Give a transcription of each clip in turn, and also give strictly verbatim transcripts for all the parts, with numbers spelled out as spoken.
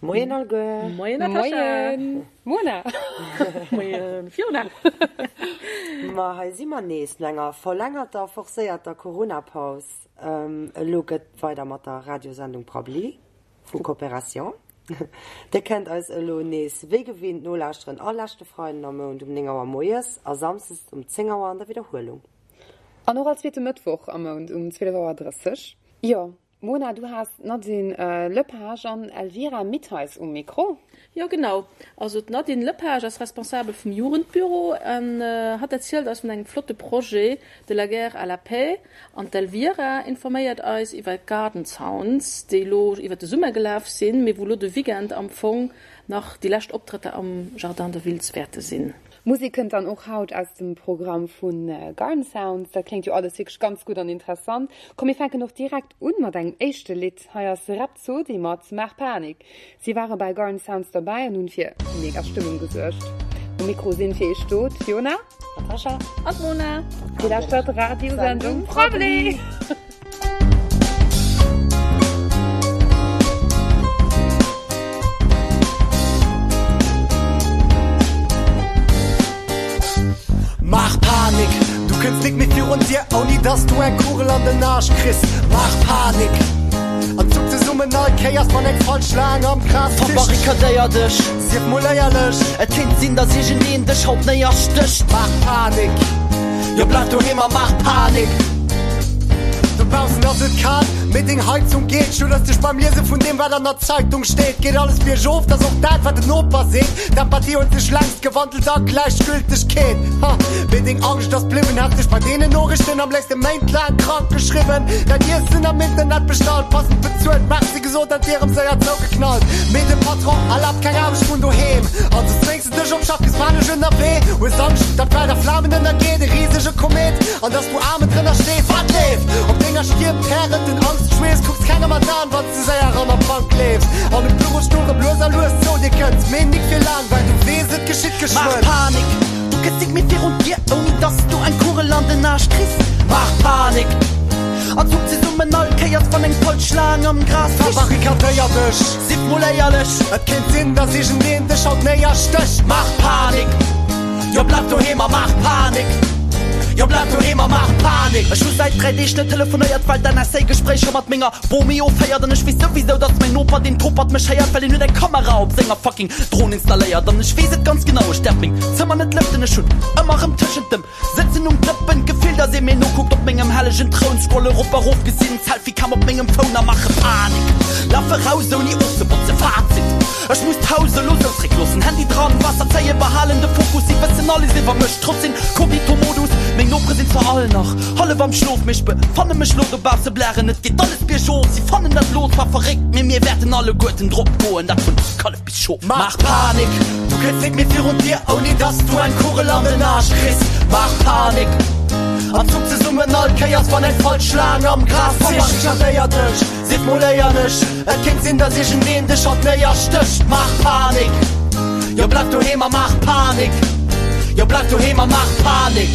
Moien alleguer. Moien Natascha. Moien Mona. Moien Fiona. Ma hei si mer nees no enger verlängerter, forcéierter Corona-Paus. Elo gëtt weider mat der Radiosendung Prabbeli vu Coopération. Dir kennt eis elo nees wéi gewinnt nolauschteren all leschte Freiden am Mount um néng Auer moies a samsdes um zéng Auer an der Widderhuelung. An och all zweete Mëttwoch am Mount um zwielef Auer drësseg. Jo, Mona, du has d'Nadine Lepage an Elvira Mittheis um Mikro. Jo, genau. Also d'Nadine Lepage ass Responsabel vum Jugendbüro an hatt erzielt eis vun engem flotte Projet De la guerre à la paix. An d'Elvira informéiert eis iwwer d'Garden Sounds, déi elo iwwer de Summer gelaf sinn, mee wou elo de Weekend am Fong nach déi lescht Optrëtter am Jardin de Wiltz wäerte sinn. Musek kënnt dann och haut aus dem Programm vu Garden Sounds. Dat kléngt jo alles wierklech ganz gutt an interessant. Komm mir fänken och direkt un mat engem éischte Lidd. Hei ass Rhapsody mat Maach Panik. Si ware bei Garden Sounds derbäi an hunn fir mega Stëmmung gesuergt. Um Mikro sinn fir iech do d'Fiona, d'Natascha an d'Mona. Dir lauschtert d'Radiosendung Prabbeli! Maach Panik, du kënns nik méi virun d'Dier, ouni dass du eng Kugel an den Aarsch kriss. Maach Panik an zuck zesummen all Kéiers, wann eng falsch Schlaang am Gras krich. Verbarrikadéier dech, Sief mol éierlech, et kéint sinn, dass iergendeen dech haut néierstécht. Maach Panik, jo bleif doheem a maach Panik. Dobaussen ass et kal, mee deng Heizung geet. Schudders dech beim Liese vun deem, wat an der Zeitung steet. Geet alles biergof, 't ass och dat, wat den Noper seet. D'Empathie huet sech längst gewandelt a Gläichgültegkeet. Ha, mee deng Angscht ass bliwwen. Häss dech bei deenen Noriichten am léifste méintlaang krank geschriwwen. Däin Iessen am Internet bestallt, passend bezuelt. Merci gesot, an d'Dier erëm séier zougeknallt. Mee de Patron erlaabt keng Aarbecht vun doheem, also zwéngs de dech op Schaff, bis panesch ënnerwee. Hues Angscht, datt d'Welt a Flamen ënnergeet, e risege Komet, an datt s du aarmen drënner stees. Wat leeft op denger Stier pärend den Angschtschweess? Kucks kengem an d'Aen, wann s de séier an der Bank leefs an um Bürostull rëm lues a lues zou dir kënns. Mee nik fir laang, well du weess, et geschitt Maach geschwënn. Panik, du kënns nik méi virun d'Dier, ouni dass du eng Kugel an den Aarsch kriss. Maach Panik an zuck zesummen all Kéiers, wann eng falsch Schlaang am Gras krich. Verbarrikadéier dech, Sief mol éierlech, et kéint sinn, dass iergendeen dech haut néierstécht. Maach Panik, jo bleif doheem a maach Panik, jo bleif doheem a maach Panik. Ech hu säit dräi Deeg net telefonéiert, well d'N S A Gespréicher mat menger Bomi offéiert. An ech weess souwisou, dass mäin Noper, deen Topert, mech héiert, well hien huet eng Kamera op senger fucking Dron installéiert. An ech weess et ganz genau, ech däerf meng Zëmmer net lëften, ech hunn ëmmer rëm tëschent dem Sëtzen um Dëppen d'Gefill, dass ee mir nokuckt op mengem hellegen Troun. Scrolle rop a rof, gesinn d'Selfie-Cam op mengem Phone a maache Panik. Lafe raus ouni ofzebotzen. Fazit, Ech muss d'Haus elo sou zréckloossen. Handy dran, Waasser zéien, behalen de Fokus. Si wëssen alles iwwer mech, trotz Inkognito-Modus. Meng Nopere sinn zwar all nach hallef am Schlof, mee ech befanne mech lo dobausse blären. Et geet alles biergof, si fannen dat lo zwar verréckt, mee mir wäerten alleguerten drop goen, dat vun Kallef bis Schof. Maach Panik, du kënns nik méi virun d'Dier, ouni dass du eng Kugel an den Aarsch kriss. Maach Panik an zuck zesummen all Kéiers, wann eng falsch Schlaang am Gras zischt. Verbarrikadéier dech, sief mol éierlech, et kéint sinn, dass iergendeen dech haut néierstécht. Maach Panik, jo bleif doheem a maach Panik, jo bleif doheem a maach Panik.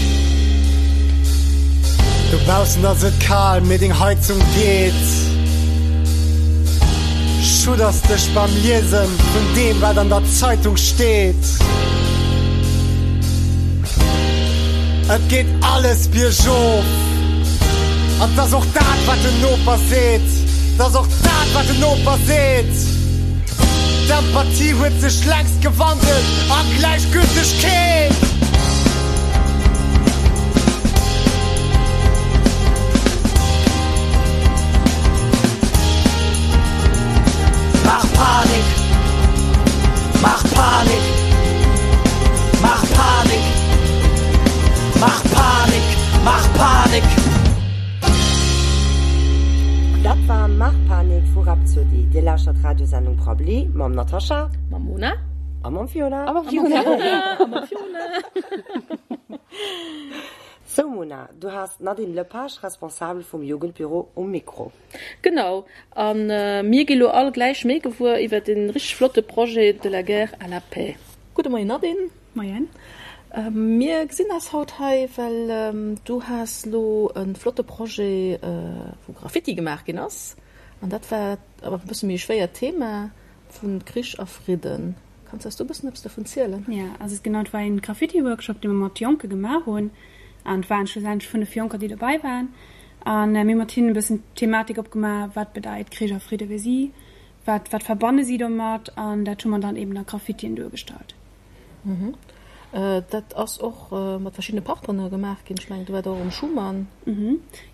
Dobaussen ass et kal, mee deng Heizung geet. Schudders dech beim Liesen vun deem, wat an der Zeitung steet. Et geet alles biergof. An 't ass och dat, wat den Noper seet. 't ass och dat, wat den Noper seet. D'Empathie huet sech längst gewandelt a Gläichgültegkeet. Maach Panik! Maach Panik! Maach Panik! Maach Panik! Maach Panik! Dat war Maach Panik vu Rhapsody. Dir lauschtert d'Radiosendung Prabbeli mam Natascha. Mam Mona. A mam Fiona. A mam Fiona. A mam Fiona. Sou Mona, du has d'Nadine Lepage, Responsabel vum Jugendbüro, um Mikro. Genau, a mir gi lo all gläich méi gewuer iwwer dee richteg flotte Projet De la guerre à la paix. Gudde Moien Nadine. Moien. Mir gesinn eis haut hei, well du has lo e flotte Projet, wou Graffiti gemaach ginn ass. An dat war awer e bësse méi e schwéiert Thema. Vun Krich a Fridden. Kanns eis do e bëssen eppes dovun zielen? Ja, also et genau, et war een Graffiti-Workshop, dee mer mat Jonke gemaach hunn. An et waren schlussendlech fënnef Jonker, déi dobäi waren. An mir hu mat hinnen e bëssen d'Thematik opgemaach, wat bedeit Krich a Fridde fir si, wat, wat verbanne si domat. An dat hu mer dann eben a Graffitien duergestallt. Dat ass och mat verschiddene Partner gemaach ginn. Ech mengen, do war der och um Schuman.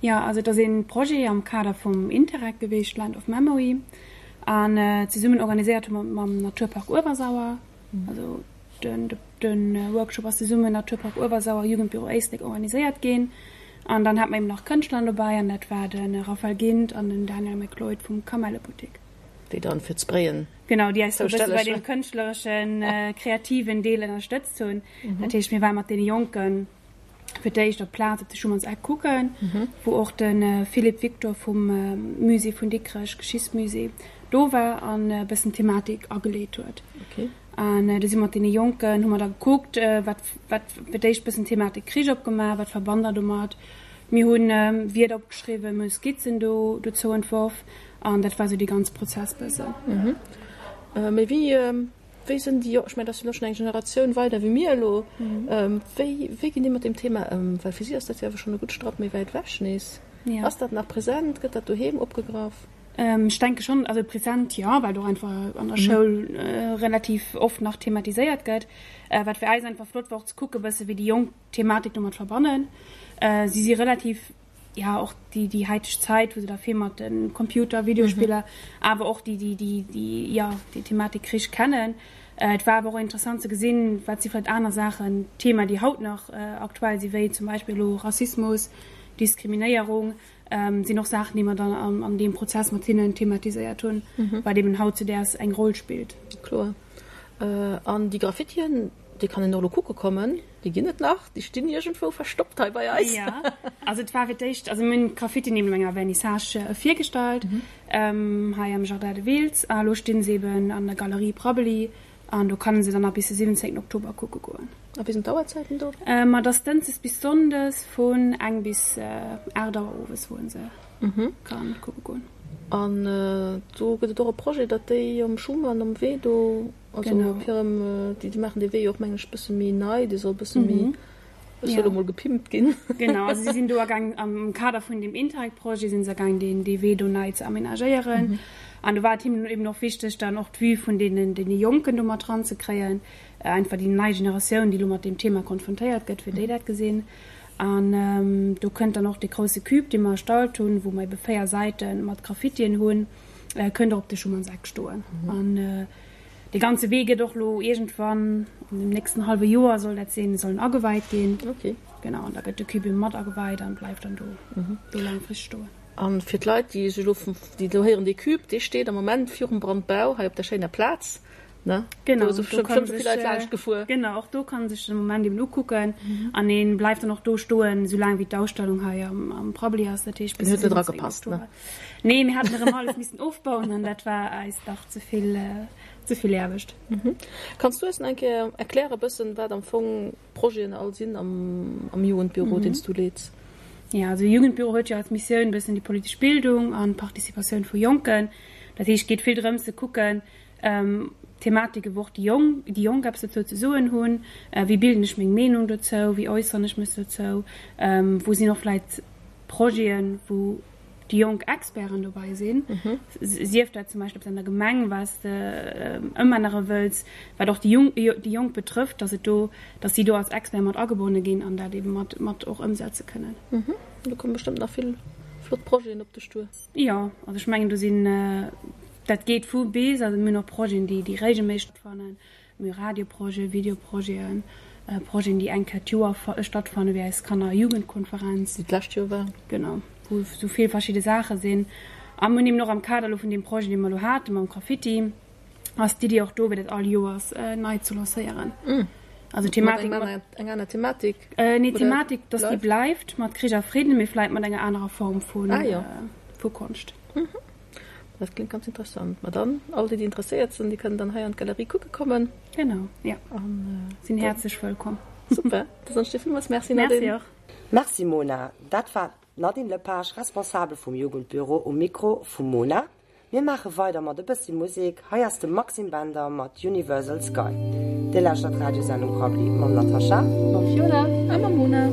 Jo, also et ass ee Projet am Kader vum Interreg gewiescht, Land of Memory. An zesummen organiséiert hu mer mam Naturpark Uewersauer. Also den de Workshop ass zesummen Naturpark Uewersauer, Jugendbüro Éislek organiséiert ginn. An dann hat mer eben nach Kënschtler dobäi an dat war de Raphael Gindt an den Daniel McLeod vum Kamellebuttek. Déi dann fir d'Sprayen Genau, déi eis do e bësse bei deem kënschtlereschen, kreativen Deel ënnerstëtzt hunn. Dat heescht, mir ware mat deene Jonken fir d'éischt op d'Plaz op de Schumann's Eck kucken, wou och de Philippe Victor vum Musée vun Dikrech, Geschichtsmusée, do war an e bëssen d'Thematik ageleet huet. An du si mat deene Jonken, hu mer da gekuckt, wat, wat fir d'éischt bëssen d'Thematik Krich opgemaach, wat verbannt der domat? Mir hu Wierder opgeschriwwen, mir hu Skizzen do dozou entworf an dat war esou dee ganze Prozess bëssen. Mee wéi, wéi sinn déi, ech mengen, dat ass jo elo schonn eng Generatioun weider wéi mir elo, wéi, wéi ginn déi mat deem Thema ëm? Well fir si ass dat jo awer schonn e gutt Strapp méi wäit ewech nees. Ass dat nach present? Gëtt dat doheem opgegraff? Ech denke schonn, also present jo, well et och einfach an der Schoul relativ oft nach thematiséiert gëtt. Wat fir eis einfach flott war och ze kucke bësse wéi déi Jonk d'Thematik domat verbannen. Si si relativ, ja och déi déi haiteg Zäit, wou se da vill mat de Computer, Videospiller, awer och déi déi déi déi jo déi Thematik Krich kennen. Et war awer och interessant ze gesinn, wat si vläicht aner Saachen, Thema déi haut nach aktuell si wéi zum Beispill elo Rassismus, Diskriminéierung, sinn och Saachen, déi mer dann an an deem Prozess mat hinnen thematiséiert hunn, wat eben hautzudäers eng Roll spillt. Kloer. An déi Graffitien, déi kann een och elo kucke kommen, déi ginn et nach, déi stinn iergendwou verstoppt hei bei eis. Jo, also et war fir d'éischt, also mir hunn d'Graffitien eben op enger Vernissage virgestallt, hei am Jardin de Wiltz, a elo sti se eben an der Galerie Prabbeli an do kann ee se dann nach bis de siwwenzéngten Oktober kucke goen. A wéi sinn d'Auerzäiten do? Ma et ass dënschdes bis sonndes vun eng bis aacht Auer owes, wou ee se kann kucke goen. An do gëtt et och e Projet, datt déi um Schuman um Wee do, also op hirem, déi maachen dee Wee jo och, mengen ech, bësse méi nei, dee soll bësse méi, ech soe lo mol, gepimpt ginn. Genau, also si sinn do agaang, am Kader vun deem Interreg-Projet si se agaang, deen dee Wee do nei ze amenagéieren. An do war et hinnen eben och wichteg, dann och d'Vue vun deenen deene Jonken do mat eranzekréien, einfach déi nei Generatioun, déi elo mat deem Thema konfrontéiert gëtt, wéi déi dat gesinn. An do kënnt dann och dee grousse Cube, dee mer erstallt hunn, wou mer ebe véier Säite mat Graffitien hunn, kënnt och op de Schumannseck stoen. An dee ganze Wee gëtt och elo iergendwann, an deem nächsten hallwe Joer soll dat sinn, soll en ageweit ginn. Genau, an da gëtt de Cube ebe mat ageweit an bleift dann do do laangfristeg stoen. A fir d'Leit, déi sech elo, déi elo héieren, dee Cube, dee steet am Moment virum Brandbau hei op der schéiner Plaz. Ne? Genau, do si do kann bestimmt vill sech, Leit laanscht gefuer. Genau, och do kann sech den Moment eben ukucken an een bleift dann och do stoen, esou laang wéi d'Ausstellung hei am, am Prabbeli ass, dat heescht Den bis huet de net siwwenzéngten eragepasst, ne? Oktober. Nee, mir haten erëm alles missen ofbauen an dat war eis dach ze vill, ze vill Aarbecht. Kanns du eis nach eng Kéier erklären bëssen, wat am Fong d'Projeten all sinn am, am Jugendbüro, deen s du leets? Jo, also de Jugendbüro huet jo als Missioun bëssen déi politesch Bildung an d'Participatioun vu Jonken. Dat heescht, et geet vill drëms ze kucken, Thematike wou och déi Jonk, déi Jonk eppes dozou ze soen hunn, wéi bilden ech meng Meenung dozou, wéi äusseren ech mech dozou, wou sinn och vläit Projeten, wou déi jonk Experten dobäi sinn, sief dat zum Beispill eppes an der Gemeng, wat s de ëmännere wëlls, wat och déi Junk, déi Jonk betrëfft, dass et do, dass si do als Expert mat agebonne ginn an dat ebe mat, mat och ëmsetze kënnen. Do komme bestëmmt nach vill flott Projeten op dech duer. Jo, also ech mengen do sinn, dat geet vu bis, also mir hunn och Projeten, déi déi regelméisseg stattfannen, mir hu Radioprojeten, Videoprojeten, Projeten, déi eng Kéier d'Joer stattfannen, wéi eis Kanner a Jugendkonferenz. Déi d'lescht Joer war. Genau, wou esou vill verschidde Saache sinn. A mir hunn eben och am Kader elo vun deem Projet, dee mer elo hate mam Graffiti, ass d'Iddi och do, fir dat all Joers nei ze lancéieren. Also Thematik mat eng aner Thematik? Nee, d'Thematik, dass déi bleift mat Krich a Fridden, mee vläit mat enger anerer Form vu ah, jo. vu Konscht. Mhm. Dat klingt ganz interessant. Ma dann, all déi, déi interesséiert sinn, déi kënnen dann hei an d'Galerie kucke kommen. Genau, ja. An äh, sinn häerzlech wëllkomm. Super, da soen ech dir villmools Merci, Nadine. Merci och. Merci Mona. Dat war d'Nadine Lepage, Responsabel vum Jugendbüro um Mikro vum Mona. Mir maache weider mat e bëssi Musek, hei ass de Maxime Bender mat Universal Sky. Dir lauschtert d'Radiosendung Prabbeli mam Natascha, mam Fiona a mam Mona.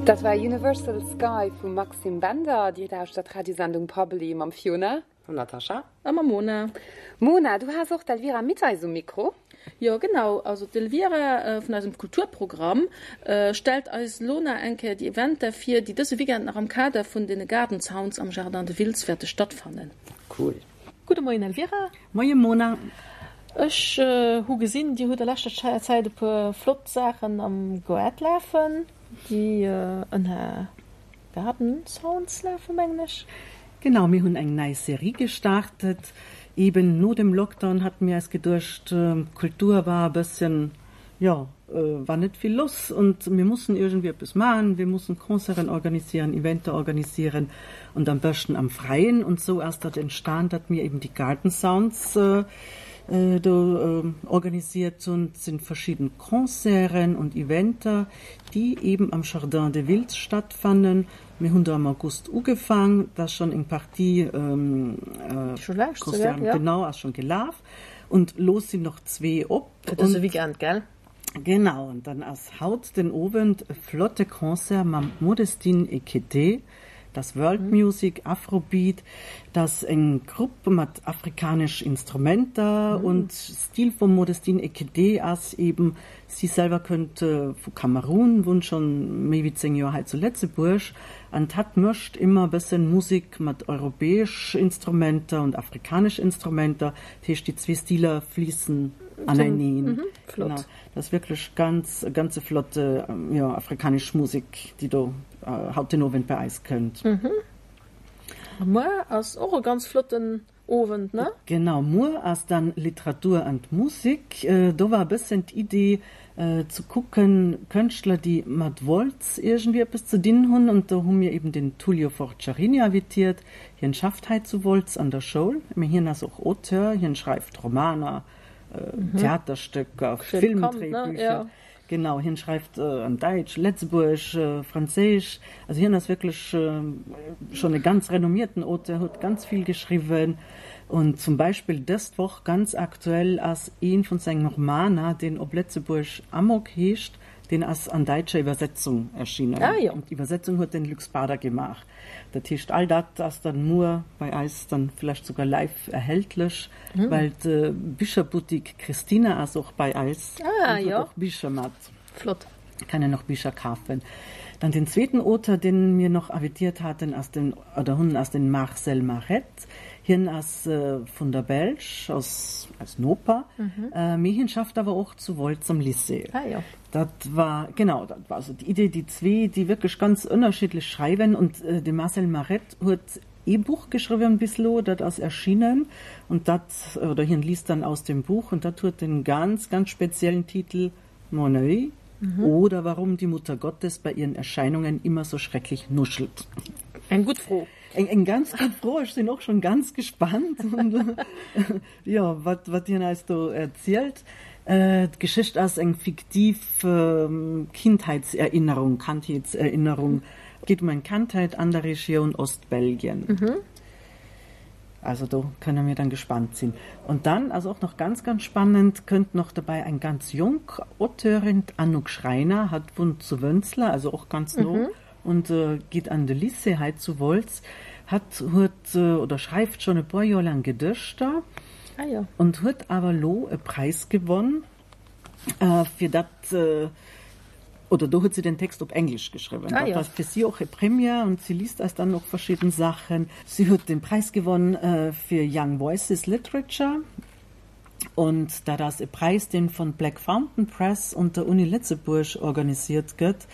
Dat war Universal Sky vum Maxime Bender. Dir lauschtert d'Radiosendung Prabbeli mam Fiona. Mam Natascha. A mam Mona. Mona, du has och d'Elvira Mitteis um Mikro. Jo, genau. Also d'Elvira vun eisem Kulturprogramm stellt eis lo nach eng Kéier déi Eventer vir, déi dëse Weekend nach am Kader vun den Garden Sounds am Jardin de Wiltz wäerte stattfannen. Cool. Gudde Moien Elvira. Moie Mona. Ech hu gesinn, Dir hutt a leschter Zäit e puer flott Saachen am Goart lafen, déi ënner Garden Sounds lafen, mengen ech. Genau, mir hunn eng nei Serie gestartet. Eben no dem Lockdown haten mir eis geduecht, d'Kultur war e bësschen, jo, war net vill lass und mir mussen irgendwie eppes maachen, wir mussen Concerten organisieren, Eventer organisieren und am beschten am Freien. Und so ass dat entstan, datt mir eben die Garden Sounds do organisiert hunn. Et sinn verschidden Concerten und Eventer, déi eben am Jardin de Wiltz stattfannen. Mir hunn do am August ugefaang, da ass schonn eng Partie Concerten, genau, ass schonn gelaf und lo sinn noch zwee op. Fir dëse Weekend, gell? Genau, an dann ass haut den Owend e flotte Concert mam Modestine Ekete. Dat ass World Music, Afrobeat, dat ass eng Grupp mat afrikanesch Instrumenter und Stil vum Modestine Ekete ass eben, si selwer kënnt vu Kamerun, wunnt schonn méi wéi zéng Joer hei zu Lëtzebuerg an hatt mëscht ëmmer e bëssen Musek mat europäesch Instrumenter und afrikanesch Instrumenter, dat heescht déi zwee Stiler fliissen aneneen. Flott. Genau, dat ass wierklech ganz, ganz e flotte, jo, afrikanesch Musek, déi do haut den Owend bei eis kënnt. A muer ass och e ganz flotten Owend, ne? Genau, muer ass dann Literatur an Musik. Do war e bëssen d'Idee ze kucken, Kënschtler, déi mat Wolz iergendwéi eppes ze dinn hunn. An do hu mir eben den Tullio Forciarini invitiert. Hien schafft hei zu Wolz an der Schoul, mee hien ass och Auteur, hien schreift Romaner, Theaterstécker, Filmdréibücher. Genau, hien schreift an Däitsch, Lëtzebuergesch, Franséisch. Also hien ass wierklech schonn e ganz renommierten Auteur, huet ganz vill geschriwwen. Und zum Beispill dëst Woch, ganz aktuell, ass ee vun sengen Romaner, deen op Lëtzebuergesch Amok heescht, deen ass an däitscher Iwwersetzung erschienen. Ah jo. Und d'Iwwersetzung huet den Luc Bader gemaach. Dat heescht, all dat ass dann muer bei eis dann vielleicht sogar live erhältlech, well d'Bicherboutique Christina ass och bei eis Ah und huet jo. och Bicher mat. Flott. Kann een och Bicher kafen. Dann den zweeten Auteur, den mir noch invitiert haten, ass den, oder hunn, ass den Marcel Marette. Hien ass vun der Belsch, ass eis Noper, mee hien schafft awer och zu Wolz am Lycée. Ah jo. Dat war, genau, dat war also d'Idee, déi zwee, déi wierklech ganz ënnerschiddlech schreiwen. Und de Marcel Marette huet ee Buch geschriwwen bis elo, dat ass erschienen und dat, oder hien liest dann aus dem Buch und dat huet den ganz, ganz speziellen Titel Mon oeil oder warum die Mutter Gottes bei ihren Erscheinungen immer so schrecklich nuschelt. Eng gutt Fro. Eng, eng ganz gutt Fro, ech sinn och schon ganz gespannt und jo, wat, wat hien eis do erzielt. D'Geschicht ass eng fiktiv Kindheitserinnerung, Kandheetserinnerung, geet um eng Kandheit an der Regioun Ostbelgien. Also do kënne mir dann gespannt sinn. Und dann, also och nach ganz, ganz spannend, kënnt noch dabei eng ganz jonk Auteurin, d'Anouk Schreiner, hat wunnt zu Wënzler, also och ganz no, und geet an de Lycée hei zu Wolz. Hat huet oder schreift schonn e puer Joer laang Gedëschter und huet awer elo e Präis gewonn fir dat, oder do huet si den Text op Englesch geschriwwen. Dat war fir si och e Première und si liest eis dann och verschidden Saachen. Si huet den Präis gewonn fir Young Voices Literature und dat ass e Präis, deen von Black Fountain Press und der Uni Lëtzebuerg organisiert gëtt.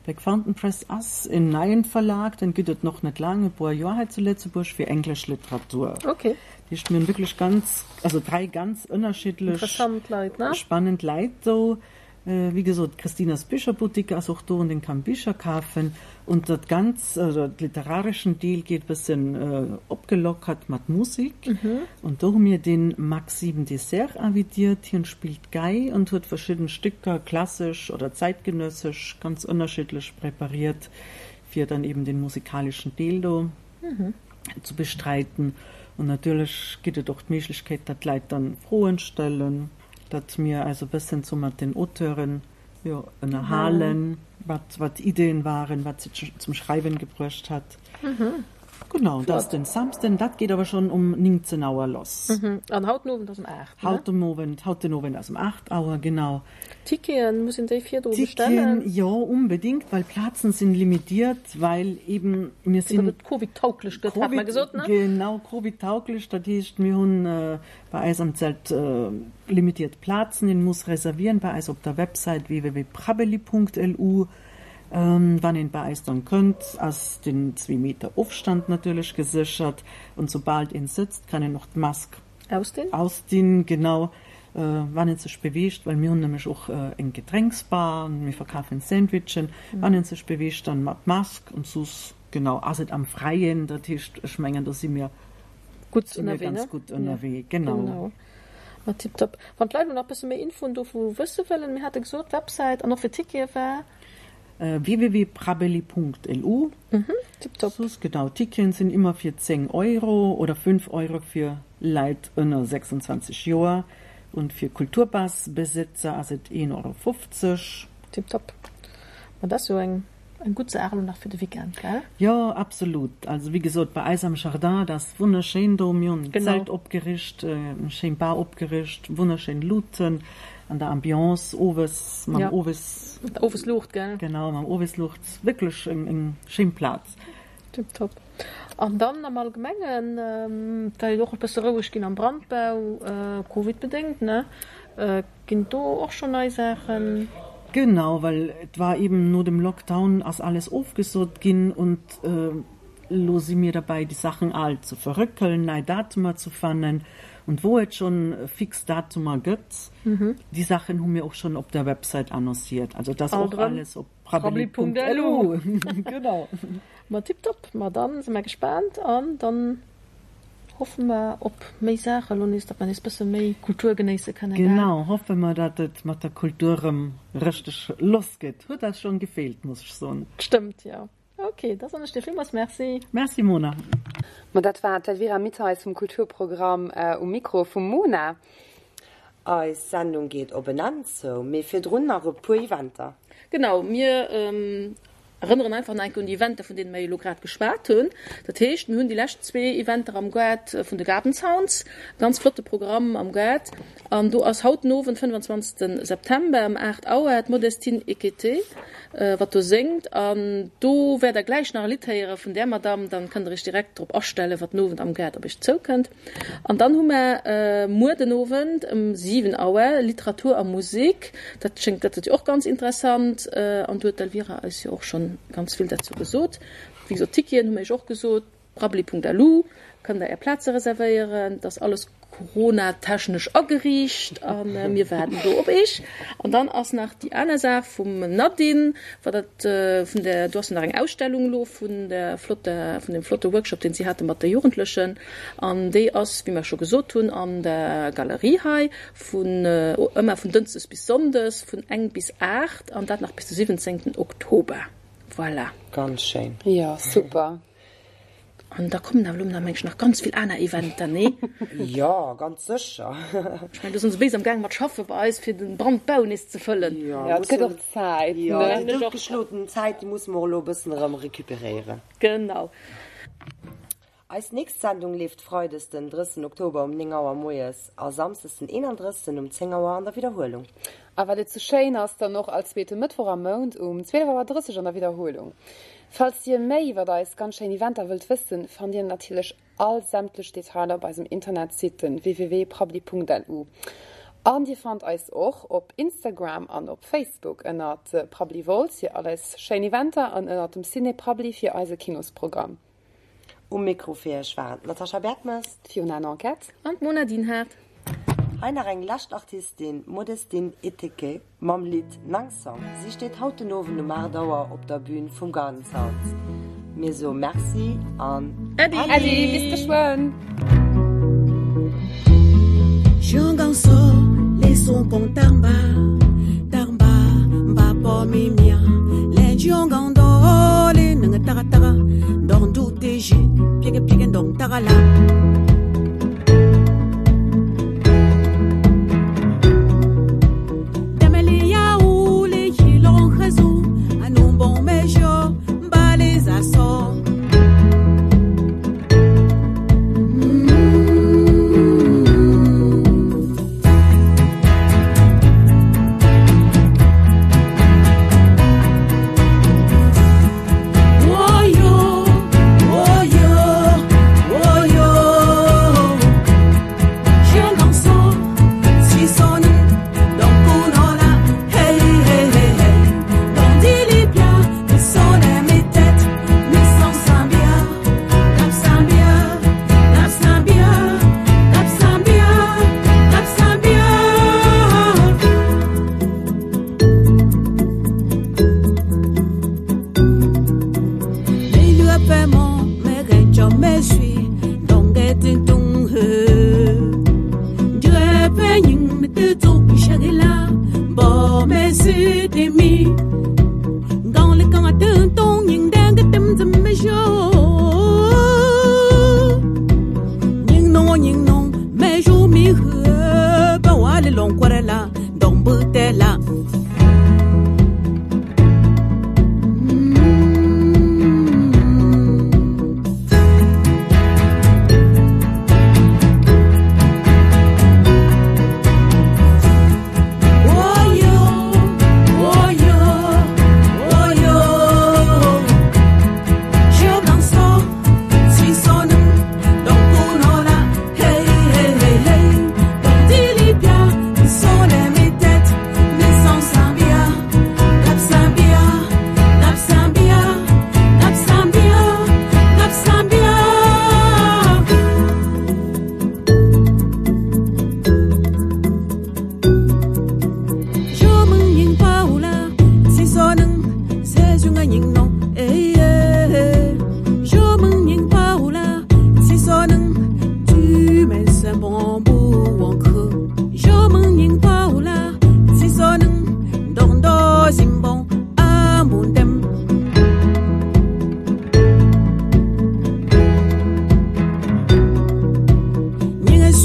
Black Fountain Press ass en neien Verlag, den gëtt et noch net laang, e puer Joer hei zu Lëtzebuerg fir englesch Literatur. Okay. Dat heescht, mir hunn wierklech ganz, also dräi ganz ënnerschiddlech Interessant Leit, ne? spannend Leit do. Wéi gesot, d'Christinas Bicherboutique ass och do an een kann Bicher kafen. Und dat ganz, also literareschen Deel geet bëssen opgelockert mat Musik. Und do hu mir den Max Sieben Dessert invitiert. Hien spillt Gei und huet verschidden Stücker, klassesch oder zeitgenössesch, ganz ënnerschiddlech prepariert, fir dann eben den musikalischen Deel do zu bestreiten. Und natierlech gitt et och d'Méiglechkeet, datt d'Leit dann Froen stellen, datt mir eis e bëssen sou mat den Auteuren jo, ënnerhalen, wat, wat Ideen waren, wat sie zum Schreiben gebruecht hat. Mhm. Genau, dat ass den Samsden, dat geet awer schonn um néngzéng Auer lass. Mhm. An haut den Owend ass um aacht, ne? Haut den Owend, haut den Owend ass um aacht Auer, genau. Ticketen, muss een déi virdru Ticketen, bestellen? jo, unbedingt, well Plazen sinn limitiert, well eben mir Fir datt sinn et Covid-tauglech gëtt, hat mer Covid, gesot, ne? genau, Covid-tauglech, dat heescht, mir hunn bei eis am Zelt limitiert Plazen, een muss reservieren bei eis op der Website www.prabbeli.lu. Wann een bei eis dann kënnt, ass den zwee Meter Ofstand natierlech geséchert und soubal een sëtzt, kann een och d'Mask Ausdinn. ausdinn, genau, wann een sech beweegt, well mir hunn nämlech och eng Gedrénksbar an mir verkafen Sandwichen, wann een sech beweegt, dann mat Mask und soss, genau, ass et am Fräien, dat heescht, ech mengen, do si mir Gutt si mir ënnerwee, ganz ne? gutt Ja, ënnerwee, genau. genau. Ma tiptop. Wann d'Leit elo nach bësse méi Infoen dovu wësse wëllen, mir hate gesot, d'Websäit an och fir Tickete war. www.prabbeli.lu. Mhm, tiptop. Soss, genau, Ticketen sinn ëmmer fir zéng Euro oder fënnf Euro fir Leit ënner sechsundzwanzeg Joer und fir Kulturpass-Besëtzer ass et een Euro fofzeg. Tiptop. Ma dat ass jo eng eng gutt Saach elo nach fir de Weekend, gell? Jo, absolut. Also wéi gesot, bei eis am Jardin, dat ass wonnerschéin do. Mir hunn en Genau. Zelt opgericht, eng schéin Bar opgericht, wonnerschéin Luuten an der Ambiance owes, mam Ja. Owes. Mat der Owesluucht, gell? Genau, mam Owesluucht. Wierklech eng, eng schéin Plaz. Tiptop. An dann am Allgemengen, et war jo och e bësse roueg ginn am Brandbau, Covid-bedéngt, ne? Ginn do och schonn nei Saachen? Genau, well et war eben no dem Lockdown ass alles ofgesot ginn und elo si mir derbäi déi Saachen all ze verrëckelen, nei Datumer ze fannen und wou et schonn fix Datumer gëtt, déi Saachen hu mir och schonn op der Website annonciert. Also dat ass Alt och erëm alles op prabbeli.lu. Genau. Ma tiptop, ma dann si mer gespaant an dann hoffe mer op méi Saachen elo nees, datt mer nees bësse méi Kultur genéisse kënnen, gell? Genau, hoffe mer, datt et mat der Kultur erëm richteg lass geet. Huet eis schonn gefeelt, muss ech soen. Stëmmt, jo. Ok, da soen ech dir villmools Merci. Merci Mona. Ma dat war d'Elvira Mitteis vum Kulturprogramm um Mikro vum Mona. Eis Sendung geet op en Enn zou, mee virdrun nach e puer Eventer. Genau, mir erënneren einfach nach eng Kéier un déi Eventer, vun deene mir elo grad geschwat hunn. Dat heescht, mir hunn déi lescht zwee Eventer am Gaart vun de Garden Sounds, e ganz flotte Programm am Gaart. An do ass haut den Owend, fënnwandzwanzegste September ëm aacht Auer, d'Modestine Ekete, wat do séngt. An do wäert der gläich nach e Lidd héiere vun där Madamm, dann kënnt der iech direkt drop astellen, wat den Owend am Gaart op iech zoukënnt. An dann hu mer muer den Owend ëm siwen Auer Literatur a Musek. Dat schéngt, dat ass jo och ganz interessant. An do huet d'Elvira eis jo och schonn ganz vill derzou gesot. Wéi gesot, Ticketen hu mer iech och gesot, prabbeli.lu kënnt der är Plaze reservéieren. Dat ass alles coronatechnesch ageriicht a mir waarden do op iech. An dann ass nach déi aner Saach vum Nadine, wat dat vun der, do ass jo nach eng Ausstellung elo vun der flotter, vun deem flotte Workshop, deen si hate mat de Jugendlechen. An déi ass, wéi mer scho gesot hunn, an der Galerie hei vun, ëmmer vun dënschdes bis sonndes vun eng bis aacht an dat nach bis de siwwenzéngten Oktober. Voilà. Ganz schéin. Jo, super. An da kommen awer elo nach, meng ech, nach ganz vill aner Eventer, nee? Jo, ganz sécher. Ech mengen, do sinn se béis am Gaang mat schaffe bei eis, fir den Brandbau nees ze fëllen. Jo, Ja, et gëtt och mussen, Zäit, jo, ne? déi doutgeschloten Zäit, déi musse mer och elo e bëssen erëm recuperéieren. Genau. Eis nächst Sendung leeft freides den drëssigsten Oktober um néng Auer moies a samsdes den eenandrëssigsten um zéng Auer an der Widderhuelung. A well et sou schéin ass, dann och all zweete Mëttwoch am Mount um zwielef Auer drësseg an der Widderhuelung. Falls dir méi iwwert eis ganz schéin Eventer wëllt wëssen, fannt dir natierlech all sämtlech Detailer op eisem Internetsite www.prabbeli.lu. An dir fannt eis och op Instagram an op Facebook ënnert Prabbeli Wolz fir all eis schéin Eventer an ënnert dem Ciné Prabbeli fir eise Kinosprogramm. Um Mikro fir iech waren d'Natascha Bergmes, D'Fiona Nanquette. An d'Mona Dinhart. Hei nach eng lescht Artistin, Modestine Eteke, mam Lidd Nang Song. Si steet haut den Owend um aacht Auer op der Bühn vum Garden Sounds. Mir soe Merci an Äddi! Äddi, bis geschwënn!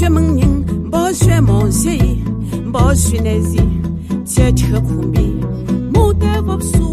学门人，不学毛学艺，不学那些，切切苦逼，牡丹不输。